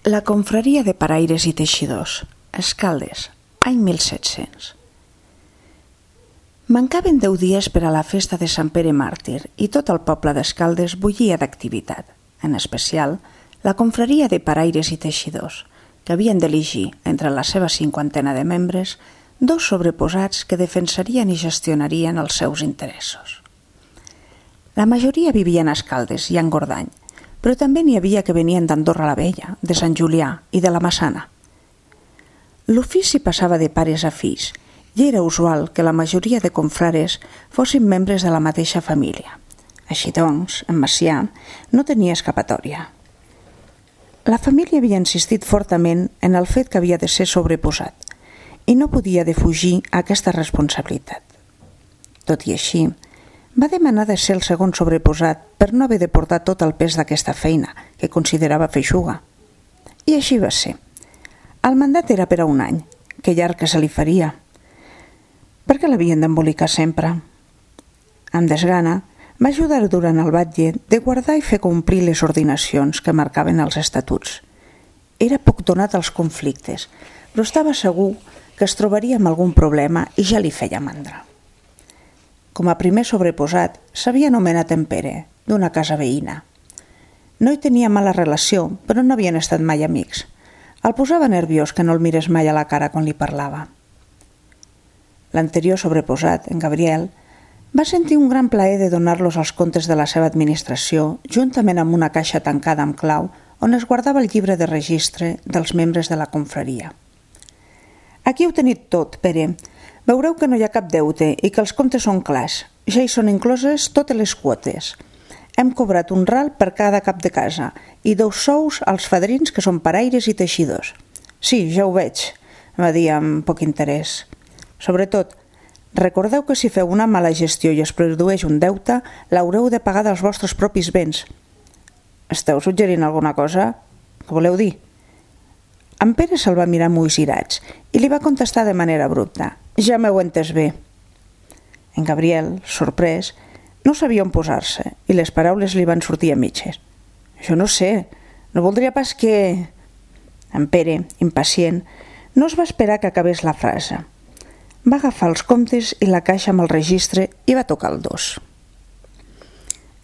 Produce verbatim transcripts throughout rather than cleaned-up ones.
La confraria de paraires i teixidors, Escaldes, any mil set-cents. Mancaven deu dies per a la festa de Sant Pere Màrtir i tot el poble d'Escaldes bullia d'activitat, en especial la confraria de paraires i teixidors, que havien d'elegir, entre la seva cinquantena de membres, dos sobreposats que defensarien i gestionarien els seus interessos. La majoria vivien a Escaldes i a Engordany, però també n'hi havia que venien d'Andorra la Vella, de Sant Julià i de la Massana. L'ofici passava de pares a fills i era usual que la majoria de confrares fossin membres de la mateixa família. Així doncs, en Macià no tenia escapatòria. La família havia insistit fortament en el fet que havia de ser sobreposat i no podia defugir aquesta responsabilitat. Tot i així, va demanar de ser el segon sobreposat per no haver de portar tot el pes d'aquesta feina, que considerava feixuga. I així va ser. El mandat era per a un any, que llarg que se li faria. Per què l'havien d'embolicar sempre? Amb desgana, va ajudar durant el batlle de guardar i fer complir les ordinacions que marcaven els estatuts. Era poc donat als conflictes, però estava segur que es trobaria amb algun problema i ja li feia mandra. Com a primer sobreposat, s'havia anomenat en Pere, d'una casa veïna. No hi tenia mala relació, però no havien estat mai amics. El posava nerviós que no el mirés mai a la cara quan li parlava. L'anterior sobreposat, en Gabriel, va sentir un gran plaer de donar-los els comptes de la seva administració, juntament amb una caixa tancada amb clau on es guardava el llibre de registre dels membres de la confraria. Aquí heu tenit tot, Pere. Veureu que no hi ha cap deute i que els comptes són clars. Ja hi són incloses totes les quotes. Hem cobrat un ral per cada cap de casa i dos sous als fadrins que són paraires i teixidors. Sí, ja ho veig, va dir amb poc interès. Sobretot, recordeu que si feu una mala gestió i es produeix un deute, l'haureu de pagar dels vostres propis béns. Esteu suggerint alguna cosa? Què voleu dir? En Pere se'l va mirar amb ulls irats i li va contestar de manera abrupta. Ja m'heu entès bé. En Gabriel, sorprès, no sabia on posar-se i les paraules li van sortir a mitges. Jo no sé, no voldria pas que... En Pere, impacient, no es va esperar que acabés la frase. Va agafar els comptes i la caixa amb el registre i va tocar el dos.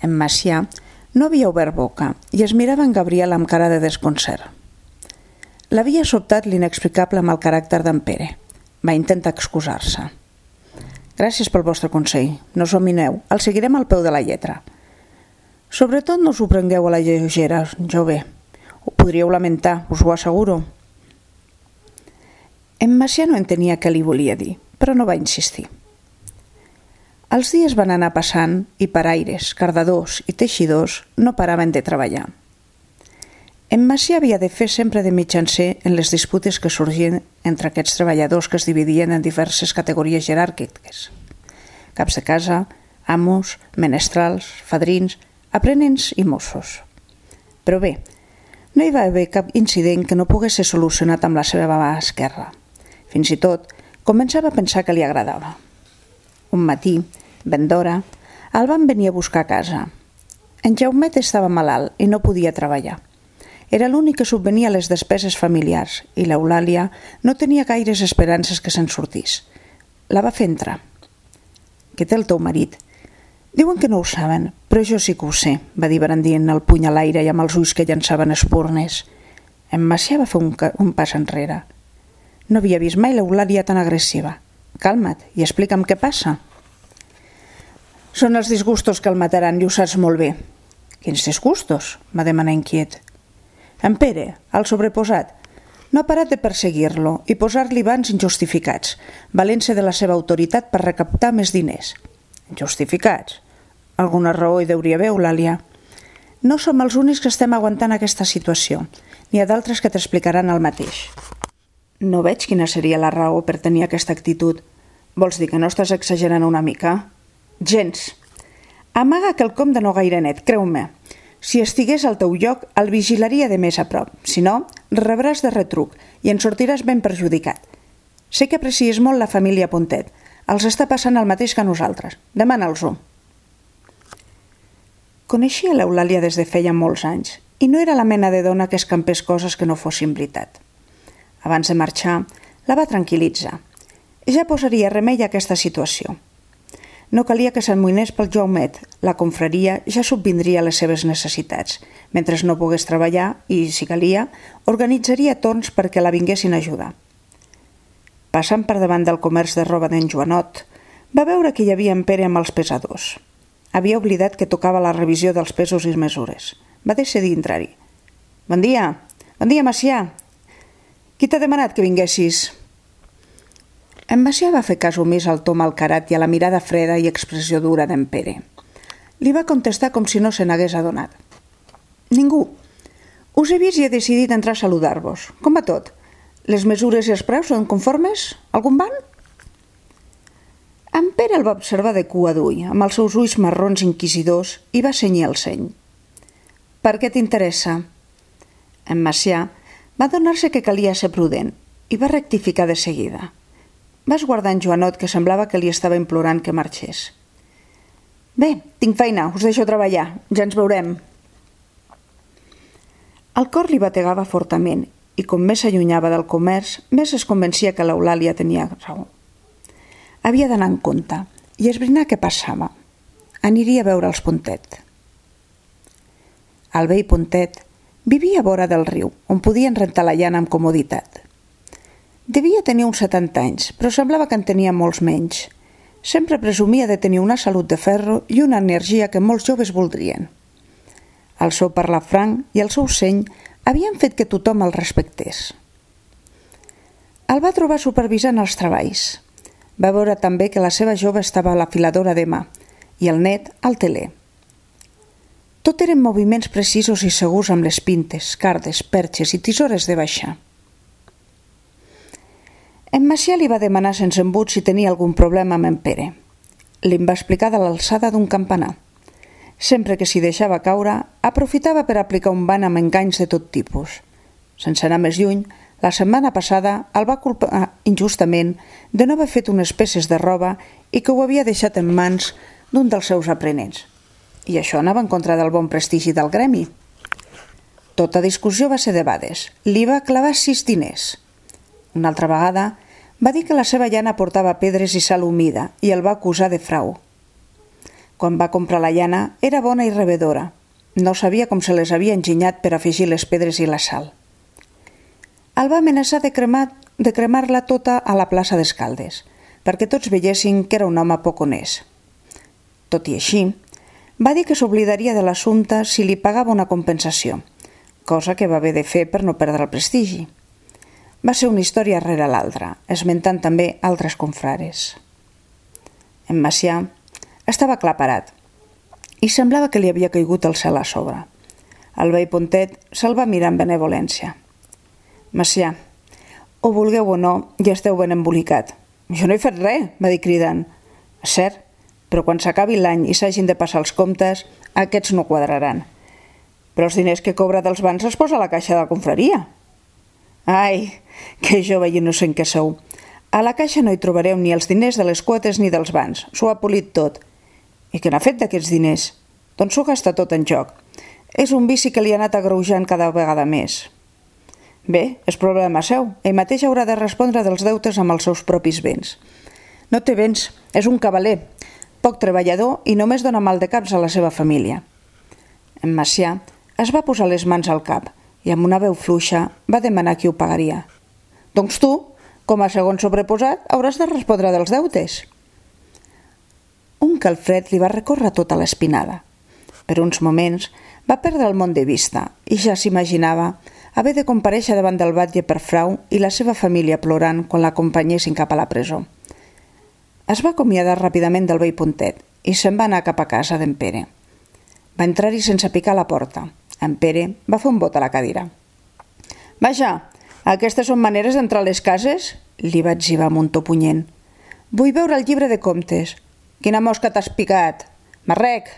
En Macià no havia obert boca i es mirava en Gabriel amb cara de desconcert. L'havia sobtat l'inexplicable amb el caràcter d'en Pere. Va intentar excusar-se. Gràcies pel vostre consell. No us amineu. El seguirem al peu de la lletra. Sobretot no us ho prengueu a la lleugera, jove. Ho podríeu lamentar, us ho asseguro. En Macià no entenia què li volia dir, però no va insistir. Els dies van anar passant i paraires, cardadors i teixidors no paraven de treballar. En Macià havia de fer sempre de mitjancer en les disputes que sorgien entre aquests treballadors que es dividien en diverses categories jeràrquiques. Caps de casa, amos, menestrals, fadrins, aprenents i mossos. Però bé, no hi va haver cap incident que no pogués ser solucionat amb la seva mà esquerra. Fins i tot, començava a pensar que li agradava. Un matí, ben d'hora, el van venir a buscar a casa. En Jaumet estava malalt i no podia treballar. Era l'únic que subvenia a les despeses familiars i l'Eulàlia no tenia gaires esperances que se'n sortís. La va fer entrar. Què té el teu marit? Diuen que no ho saben, però jo sí que ho sé, va dir brandint el puny a l'aire i amb els ulls que llançaven espurnes. En Macià va fer un, un pas enrere. No havia vist mai l'Eulàlia tan agressiva. Calma't i explica'm què passa. Són els disgustos que el mataran i ho saps molt bé. Quins disgustos? Va demanar inquiet. En Pere, el sobreposat, no ha parat de perseguir-lo i posar-li bans injustificats, valent-se de la seva autoritat per recaptar més diners. Injustificats? Alguna raó hi deuria haver, Eulàlia. No som els únics que estem aguantant aquesta situació. N'hi ha d'altres que t'explicaran el mateix. No veig quina seria la raó per tenir aquesta actitud. Vols dir que no estàs exagerant una mica? Gens. Amaga quelcom de no gaire net, creu-me. Si estigués al teu lloc, el vigilaria de més a prop. Si no, rebràs de retruc i en sortiràs ben perjudicat. Sé que aprecies molt la família Pontet. Els està passant el mateix que a nosaltres. Demana'ls-ho. Coneixia l'Eulàlia des de feia molts anys i no era la mena de dona que escampés coses que no fossin veritat. Abans de marxar, la va tranquil·litzar. Ja posaria remei a aquesta situació. No calia que s'amoïnés pel Jaumet, la confraria ja subvindria les seves necessitats. Mentre no pogués treballar i, si calia, organitzaria torns perquè la vinguessin a ajudar. Passant per davant del comerç de roba d'en Joanot, va veure que hi havia en Pere amb els pesadors. Havia oblidat que tocava la revisió dels pesos i mesures. Va decidir entrar-hi. «Bon dia! Bon dia, Macià! Qui t'ha demanat que vinguessis?» En Macià va fer cas omís al to malcarat i a la mirada freda i expressió dura d'en Pere. Li va contestar com si no se n'hagués adonat. «Ningú. Us he vist i he decidit entrar a saludar-vos. Com va tot? Les mesures i els preus són conformes? Algun van?» En Pere el va observar de cua d'ull, amb els seus ulls marrons inquisidors, i va cenyir el seny. «Per què t'interessa?» En Macià va adonar-se que calia ser prudent i va rectificar de seguida. Va esguardar en Joanot, que semblava que li estava implorant que marxés. «Bé, tinc feina, us deixo treballar, ja ens veurem». El cor li bategava fortament i com més s'allunyava del comerç, més es convencia que l'Eulàlia tenia raó. Havia d'anar en compte i esbrinar què passava. Aniria a veure els Pontet. El vell Pontet vivia a vora del riu, on podien rentar la llana amb comoditat. Devia tenir uns setanta anys, però semblava que en tenia molts menys. Sempre presumia de tenir una salut de ferro i una energia que molts joves voldrien. El seu parlar franc i el seu seny havien fet que tothom el respectés. El va trobar supervisant els treballs. Va veure també que la seva jove estava a l'afiladora de mà i el net al teler. Tot eren moviments precisos i segurs amb les pintes, cardes, perxes i tisores de baixar. En Macià li va demanar sense embut si tenia algun problema amb en Pere. Li'n va explicar de l'alçada d'un campanar. Sempre que s'hi deixava caure, aprofitava per aplicar un ban amb enganys de tot tipus. Sense anar més lluny, la setmana passada el va culpar injustament de no haver fet unes peces de roba i que ho havia deixat en mans d'un dels seus aprenents. I això anava en contra del bon prestigi del gremi. Tota discussió va ser debades. Li va clavar sis diners. Una altra vegada va dir que la seva llana portava pedres i sal humida i el va acusar de frau. Quan va comprar la llana era bona i rebedora. No sabia com se les havia enginyat per afegir les pedres i la sal. El va amenaçar de cremar, de cremar-la tota a la plaça d'Escaldes, perquè tots veiessin que era un home poc honest. Tot i així, va dir que s'oblidaria de l'assumpte si li pagava una compensació, cosa que va haver de fer per no perdre el prestigi. Va ser una història rere l'altra, esmentant també altres confrares. En Macià estava aclaparat i semblava que li havia caigut el cel a sobre. El vell Pontet se'l va mirar amb benevolència. «Macià, ho vulgueu o no, ja esteu ben embolicat. Jo no he fet res», va dir cridant. «És cert, però quan s'acabi l'any i s'hagin de passar els comptes, aquests no quadraran. Però els diners que cobra dels bans els posa a la caixa de la confraria». «Ai, que jove i innocent que sou. A la caixa no hi trobareu ni els diners de les quotes ni dels bans. S'ho ha polit tot. I què n'ha fet d'aquests diners? Doncs s'ho gasta tot en joc. És un vici que li ha anat agreujant cada vegada més». «Bé, és problema seu. Ell mateix haurà de respondre dels deutes amb els seus propis béns. No té béns, és un cavaler, poc treballador i només dona mal de caps a la seva família». En Macià es va posar les mans al cap i amb una veu fluixa va demanar qui ho pagaria. «Doncs tu, com a segon sobreposat, hauràs de respondre dels deutes». Un calfred li va recórrer tota l'espinada. Per uns moments va perdre el món de vista i ja s'imaginava haver de comparèixer davant del batlle per frau i la seva família plorant quan l'acompanyessin cap a la presó. Es va acomiadar ràpidament del vell Pontet i se'n va anar cap a casa d'en Pere. Va entrar-hi sense picar a la porta. En Pere va fer un bot a la cadira. «Vaja, aquestes són maneres d'entrar a les cases?» li va etzibar amb un to punyent. «Vull veure el llibre de comptes. Quina mosca t'has picat? Marrec!»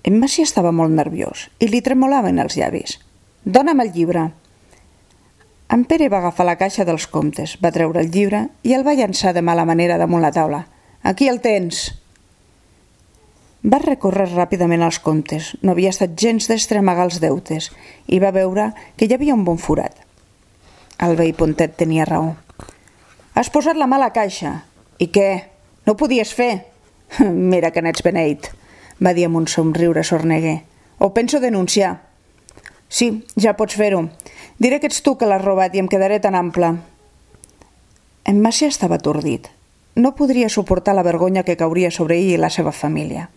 En Macià estava molt nerviós i li tremolaven els llavis. «Dóna'm el llibre». En Pere va agafar la caixa dels comptes, va treure el llibre i el va llançar de mala manera damunt la taula. «Aquí el tens». Va recórrer ràpidament els comptes, no havia estat gens d'estremagar els deutes, i va veure que hi havia un bon forat. El vell Pontet tenia raó. Has posat la mà a la caixa. I què? No ho podies fer? Mira que n'ets beneit, va dir amb un somriure sorneguer. Ho penso denunciar. Sí, ja pots fer-ho. Diré que ets tu que l'has robat i em quedaré tan ample. En Macià estava atordit. No podria suportar la vergonya que cauria sobre ell i la seva família.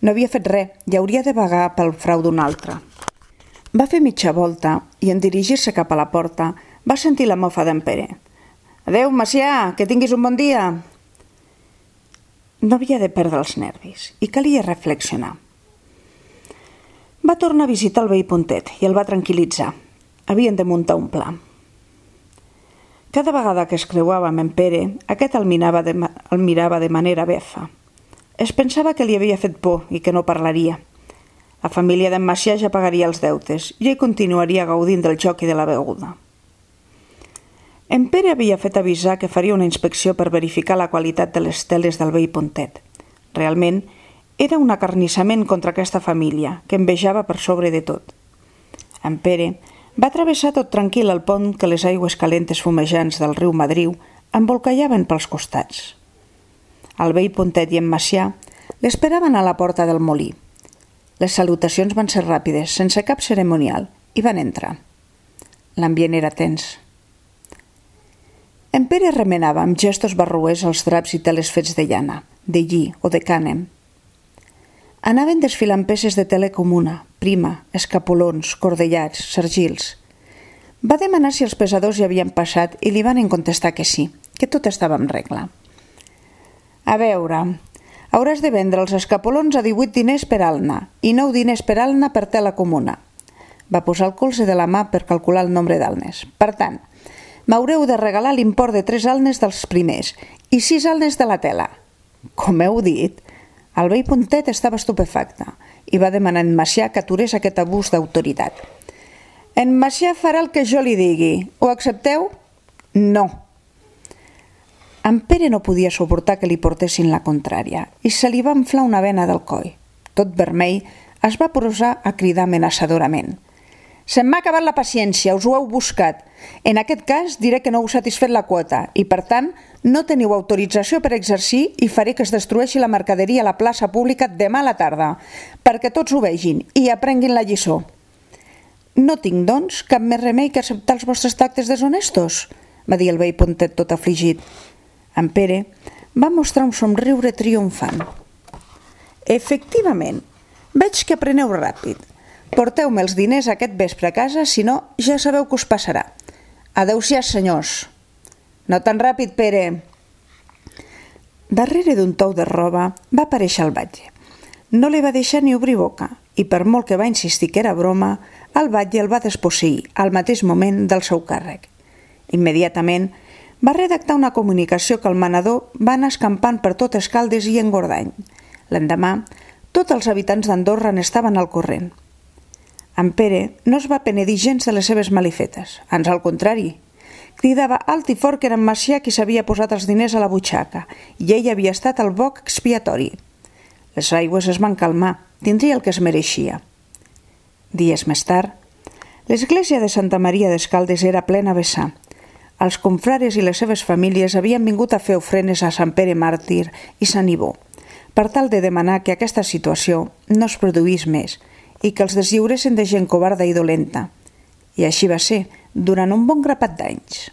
No havia fet res i hauria de vagar pel frau d'un altre. Va fer mitja volta i en dirigir-se cap a la porta va sentir la mofa d'en Pere. Adéu, Macià, que tinguis un bon dia. No havia de perdre els nervis i calia reflexionar. Va tornar a visitar el vell Pontet i el va tranquil·litzar. Havien de muntar un pla. Cada vegada que es creuava amb en Pere, aquest el mirava de, el mirava de manera befa. Es pensava que li havia fet por i que no parlaria. La família d'en Macià ja pagaria els deutes i ell continuaria gaudint del joc i de la beguda. En Pere havia fet avisar que faria una inspecció per verificar la qualitat de les teles del vell Pontet. Realment, era un acarnissament contra aquesta família, que envejava per sobre de tot. En Pere va travessar tot tranquil el pont que les aigües calentes fumejants del riu Madriu embolcallaven pels costats. El vell Pontet i en Macià l'esperaven a la porta del molí. Les salutacions van ser ràpides, sense cap cerimonial, i van entrar. L'ambient era tens. En Pere remenava amb gestos barroers els draps i teles fets de llana, de lli o de cànem. Anaven desfilant peces de tele comuna, prima, escapolons, cordellats, sargils. Va demanar si els pesadors hi havien passat i li van contestar que sí, que tot estava en regla. A veure, hauràs de vendre els escapolons a divuit diners per alna i nou diners per alna per tela comuna. Va posar el colze de la mà per calcular el nombre d'alnes. Per tant, m'haureu de regalar l'import de tres alnes dels primers i sis alnes de la tela. Com heu dit, el vell Pontet estava estupefacte i va demanar a en Macià que aturés aquest abús d'autoritat. En Macià farà el que jo li digui. Ho accepteu? No. En Pere no podia suportar que li portessin la contrària i se li va inflar una vena del coll. Tot vermell, es va posar a cridar amenaçadorament. Se'm m'ha acabat la paciència, us ho heu buscat. En aquest cas diré que no heu satisfet la quota i, per tant, no teniu autorització per exercir i faré que es destrueixi la mercaderia a la plaça pública demà a la tarda, perquè tots ho vegin i aprenguin la lliçó. No tinc, doncs, cap més remei que acceptar els vostres tractes deshonestos, va dir el vell Pontet tot afligit. En Pere va mostrar un somriure triomfant. Efectivament, veig que apreneu ràpid. Porteu-me els diners aquest vespre a casa, si no, ja sabeu què us passarà. Adéu-siau, senyors. No tan ràpid, Pere. Darrere d'un tou de roba va aparèixer el batlle. No li va deixar ni obrir boca i, per molt que va insistir que era broma, el batlle el va desposseir al mateix moment del seu càrrec. Immediatament va redactar una comunicació que el manador va anar escampant per tot Escaldes i Engordany. L'endemà, tots els habitants d'Andorra n'estaven al corrent. En Pere no es va penedir gens de les seves malifetes, ans al contrari. Cridava alt i fort que era en Macià qui s'havia posat els diners a la butxaca i ell havia estat el boc expiatori. Les aigües es van calmar, tindria el que es mereixia. Dies més tard, l'església de Santa Maria d'Escaldes era plena a vessar. Els confrares i les seves famílies havien vingut a fer ofrenes a Sant Pere Màrtir i Sant Ibó, per tal de demanar que aquesta situació no es produís més i que els deslliuressin de gent covarda i dolenta. I així va ser, durant un bon grapat d'anys.